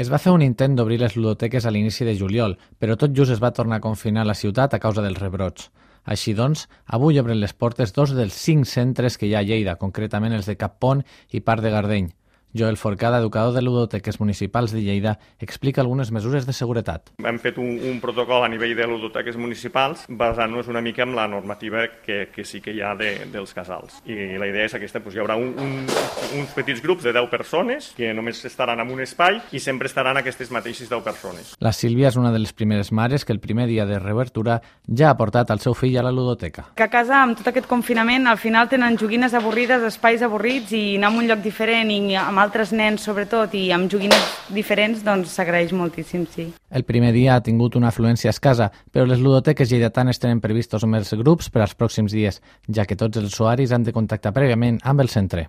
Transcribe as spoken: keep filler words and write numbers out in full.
Es va fer un intent d'obrir les ludoteques a l'inici de juliol, però tot just es va tornar a confinar la ciutat a causa dels rebrots. Així doncs, avui obren les portes dos dels cinc centres que hi ha a Lleida, concretament els de Cappont i Part de Gardeny. Joel Forcada, educador de ludoteques municipals de Lleida, explica algunes mesures de seguretat. Hem fet un, un protocol a nivell de ludoteques municipals basant-nos una mica en la normativa que, que sí que hi ha de, dels casals. I la idea és aquesta, doncs hi haurà un, un, uns petits grups de deu persones que només estaran en un espai i sempre estaran aquestes mateixes deu persones. La Sílvia és una de les primeres mares que el primer dia de reobertura ja ha portat el seu fill a la ludoteca. Que a casa, amb tot aquest confinament, al final tenen joguines avorrides, espais avorrits, i anar a un lloc diferent i amb altres nens, sobretot, i amb joguines diferents, doncs s'agraeix moltíssim, sí. El primer dia ha tingut una afluència escassa, però les ludoteques lleidatanes tenen previstos més grups per als pròxims dies, ja que tots els usuaris han de contactar prèviament amb el centre.